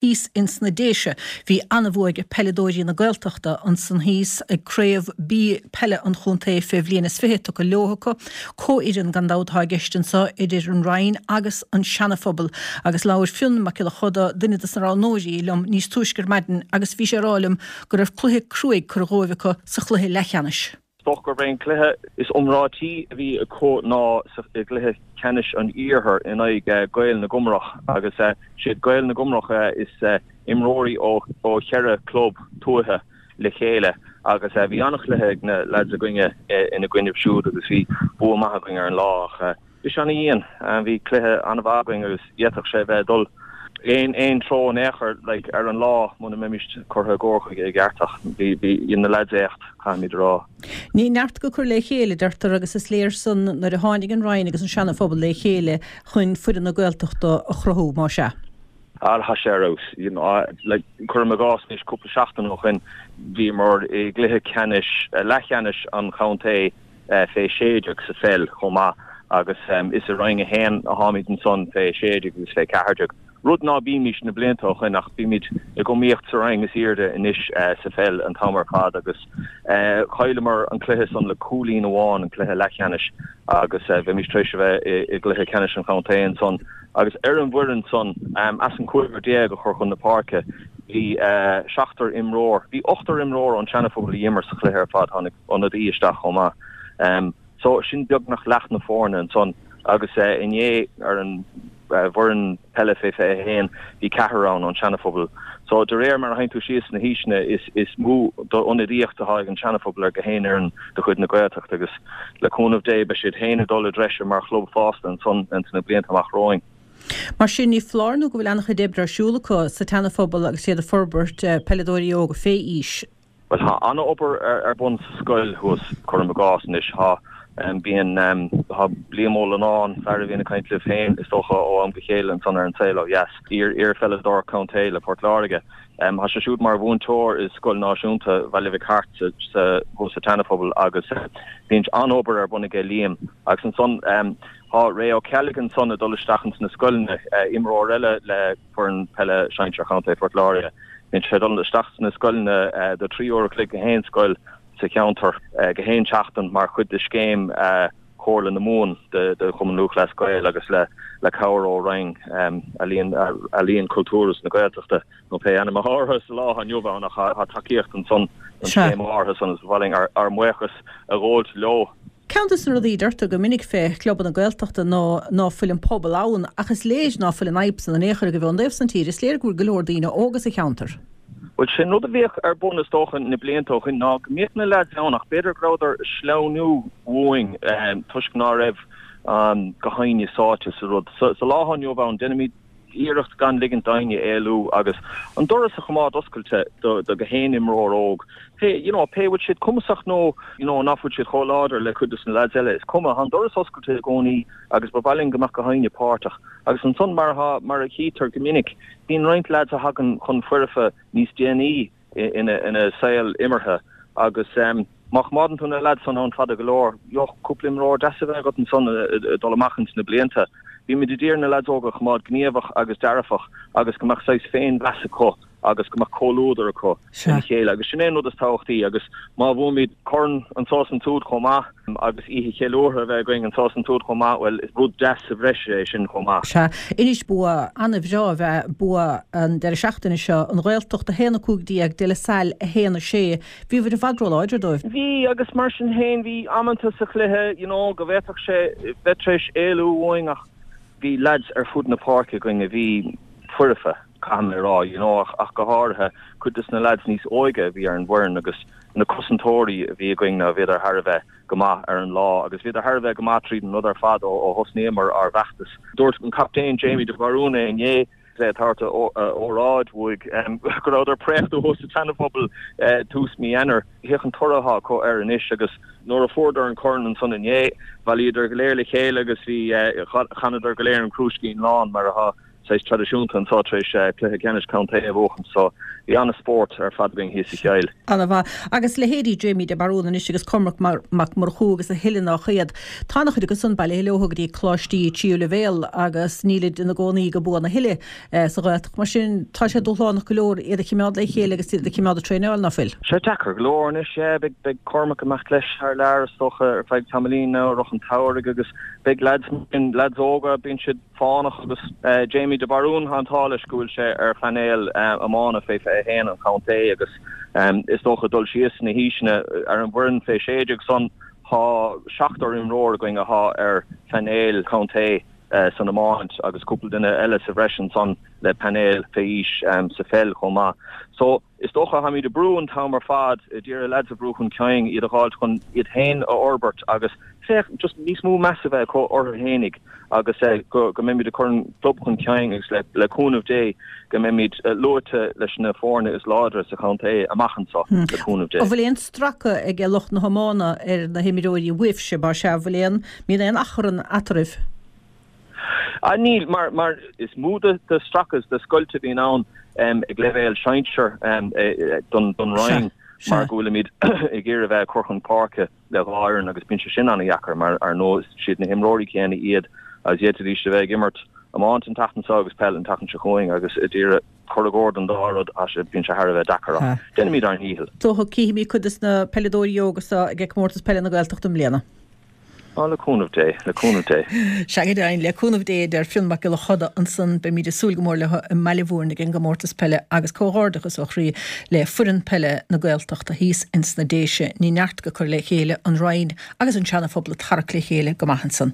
Thíos ins na Déise bhí an-bhua ag peileadóirí na Gaeltachta ansan thíos ag Craobh B Peile an Chontae fé bhliain is 20 tugtha leo acu. Comhfhoireann gan dabht atá i gceist anso idir an Rinn agus an Seanaphobal agus labhair Fionn Mac Giolla Choda, duine dos na roghnóirí, liom níos túisce ar maidin agus bhí sé ag rá liom go raibh cluiche cruaidh curtha dhóibh acu sa chluiche leathcheannais. Is dócha gurb é an cluiche is iomráití a bhí acu ná i gcluiche ceannais an Iarthair in aghaidh Gaeil na gComrach agus siad Gaeil na gComrach is imreoirí ó cheithre chlub tuaithe le chéile agus bhí an-chluiche ag na leaids againne ina gcoinnibh siúd agus bhí bua maith againn ar an lá ach Bhí sé ana-dhian. Bhí cluiche an-mhaith againn agus d'fhéadfadh sé bheith ag dul aon aon treo in aon chor like ar an lá muna mbeimis curtha i gcóir chuige i gceart ach bhí bhí dhein na lads éacht, caithfimid a rá. Ní neart go cur le chéile, a deirtear, agus is léir san nuair a tháinig an Rinn agus an Seana-Phobal le chéile chun foireann na Gaeltachta a chruthú, más ea. Ah tá sé ar fheabhas. You know, like, cuirim i gcás anois cúpla seachtain ó shoin bhíomar i gcluiche ceannais, leathcheannais an chontae fé 16 sa pheil chomh maith agus is i Roinn 1 atáimid ansan fé 16 agus fé 14, rud ná bímís na blianta ó shoin ach bímid ag iomaíocht sa roinn is aoirde anois sa pheil an t-am ar fad agus chailleamar an cluiche san le cúilín amháin, an cluiche leathcheannais agus bheimis tar éis a bheith i gcluiche ceannais an chontae ansan agus ar an bhfoireann san as an chúigear déag a chuir chun na páirce bhí seachtar imreoir, bhí ochtar imreoir ón Seana-Phobal a d'imir sa chluiche ar fad, tháinig. ionadaí isteach chomh maith. So sin beagnach leath na foirne ansan agus inné ar an bhfoireann peile fé 21 bhí ceathrar ann ón Seana-Phobal. So de réir mar a théann tú síos sna haoiseanna is is mó d'ionadaíocht atá ag an Seana-Phobal ar gach aon fhoireann de chuid na Gaeltachta agus le cúnamh Dé beidh siad féin ag dul i dtreise mar chlub fosta ansan ins na blianta amach romhainn. Mar sin ní foláir nó go bhfuil an-chuid oibre ar siúl acu sa tSeana-Phobal agus iad ag forbairt peileadóirí óga fé aois. Bhuel, tá an-obair ar bun sa scoil thuas, cuirim i gcás anois. Tá, bíonn, tá Liam Ó Lonáin, fear a bhíonn ag caint libh féin, is dócha, ó am go chéile ansan ar An Saol Ó Dheas, iar-pheileadóir contae le Port Láirge. Tá sé siúd mar mhúinteoir i Scoil Náisiúnta Bhaile Mhic Airt sa, thuas sa tSeana-Phobal agus bíonn an-obair ar bun aige Liam. Agus ansan tá Ray Ó Ceallaigh ansan ag dul isteach ins na scoileanna, imreoir eile le foireann peile sinsir Chontae Phort Láirge. Bíonn sé ag dul isteach sna scoileanna do 3 uair a chloig gach aon scoil sa cheantar gach aon tseachtain mar chuid de scéim Chomhairle na Mumhan de Chumann Lúthchleas Gael agus le cabhair ó Roinn Ealaíon, Cultúir agus na Gaeltachta nó pé ainm atá orthu sa lá atá inniu ann ach tá tacaíocht ansan don scéim áirithe san agus ba mhaith linn ár mbuíochas a ghabháilt leo. Ceann de na rudaí a deirtear go minic fé chlubanna Gaeltachta ná ná fuil an pobal ann, ach is léir ná fuil an fhadhb san in aon chor agaibh ón dtaobh san tíre. Is léir go bhfuil go leor daoine óga sa cheantar. Bhuel, sin rud a bhíodh ar bun is dócha na blianta ó shin ná go mbíodh na leaids ann ach b'fhéidir go rabhadar ag sleamhnú uainn toisc ná raibh gach éinne sáite sa rud. Sa lá atá inniu ann, déanaimid iarracht gan ligint d'éinne éalú agus an doras a choimeád oscailte do gach aon imreoir óg, pé, you know, pé bhfuil siad cumasach nó, you know, ná fuil siad chomh láidir le cuid de na lads eile, is cuma, tá an doras oscailte i gcónaí agus ba mhaith linn go mbeadh gach éinne páirteach. Agus ansan, mar atá, mar a chítear go minic, bíonn roinnt lads a thagann chun foirfe níos déanaí ina saol imeartha agus má choimeádann tú na leaids san ann fada go leor, gheobhaidh cúpla imreoir deas a bheith agat ansan ag dul amach ins na blianta. Bímid ag iarraidh na leaids óga a choimeád gníomhach agus dearfach agus go mbeadh saghas féinmheas acu agus go mbeadh comhluadar acu lena chéile agus sin é an rud is tábhachtaí agus má bhuaimid corn anso is ansúd chomh maith agus oíche cheiliúrtha a bheith againn anso is ansúd chomh maith, bhuel is rud deas sa bhreis é sin chomh maith. Sea, anois bua an-bhreá ab ea bua an deireadh seachtaine seo, an Ghaeltacht 1-15, De La Salle 1-6. Bhíobhair i bhfad róláidir dóibh. Bhí, agus mar sin féin bhí amanta sa chluiche, you know, go bhféadfadh sé bheith tar éis éalú uainn ach bhí leaids ar fud na páirce againn a bhí foirfe. caithfidh mé a rá, you know, ach go háirithe cuid des na lads níos óige a bhí ar an bhfoireann agus na cosantóirí a bhí againn ná bhíodar thar a bheith go maith ar an lá agus bhíodar thar a bheith go maith tríd an rud ar fad ó ó thosnaíomar ár bhfeachtas. Dúirt an captaen Jamie de Bharún é inné is é ag tabhairt a óráid uaidh go rabhadar préachta thuas sa tSeana-Phobal tús mí Eanáir. Féach an toradh atá acu air anois agus nuair a fuaireadar an corn ansan inné, bhailíodar go léir le chéile agus bhí, chanadar go léir an Crúiscín Lán mar atá. saghas traidisiúnta anseo tar éis cluiche ceannais contae a bhuachan so bhí an-spórt ar fad againn thíos sa Chill. Ana-mhaith. Agus leithéidí Jamie de Barún anois agus Cormac Mac Murchú agus a thuilleadh nach iad. Tá ana-chuid acu san bailithe leo go dtí coláistí tríú leibhéal agus nílid ina gcónaí go buan a thuilleadh sa Ghaeltacht. Mar sin tá sé dúshlánach go leor iad a chimeád le chéile agus iad a chimeád ag traenáil, ná fuil? Sé deacair go leor anois, yeah. Beidh, beidh Cormac ag imeacht leis thar lear is dócha ar feadh tamaillín now i rith an tsamhraidh agus beidh leaids, leaids óga, bíonn siad fánach agus Jamie de Barún, tá an t-ádh leis go bhfuil sé ar phainéal iomána fé 21 an chontae agus is dócha dul síos sna haoiseanna ar an bhfoireann fé 16 san tá seachtar imreoir againn athá ar phainéal contae san iomáint agus cúpla duine eile sa bhreis ansan le painéal fé aois sa pheil chomh maith. So. Is dócha, táimid ag brú an t-am ar fad, d'iarraidh leaids a bhrú chun cinn, iad a dh'fháilt chun iad féin a fhorbairt agus féach, just níos mó meas a bheith acu orthu fhéinig agus go go mbeimid ag cur an club chun cinn agus le le cúnamh Dé go mbeimid luaite leis na foirne is láidre sa chontae amach anseo, le cúnamh Dé. An bhfuil aon stracadh ag lucht na hiomána ar na himreoirí uaibhse, mar sea, an bhfuil aon, mbíonn aon achrann eatarthu? Ah níl, mar, mar is mó de, de stracadh is de scoilt a bhíonn ann ag leibhéal sinsear don, don Roinn mar go bhfuilimid ag iarraidh a bheith ag cur chun páirce le dhá fhoireann agus bíonn sé sin an-dheacair mar ar ndóigh is iad na himreoirí céanna iad agus d'fhéadfaidís a bheith ag imirt iomáint an tseachtain seo agus peil an tseachtain seo chugainn agus ag iarraidh cur i gcóir don dá rud bíonn sé thar a bheith deacair ach déanaimid ár ndícheall. Dócha cífimid cuid des na peileadóirí óga seo ag Comórtas Peile na Gaeltachta i mbliana. Á, le cúnamh Dé, le cúnamh Dé. Sea go deimhin, le cúnamh Dé, a deir Fionn Mac Giolla Choda ansan. Beimid ag súil go mór leo i mBaile Mhúirn ag an gcomórtas peile agus comhghairdeachas ó chroí le foireann peile na Gaeltachta thíos ins na Déise. Ní neart go cur le chéile, an Rinn agus an Seana Phobal ag tarrac le chéile go maith ansan.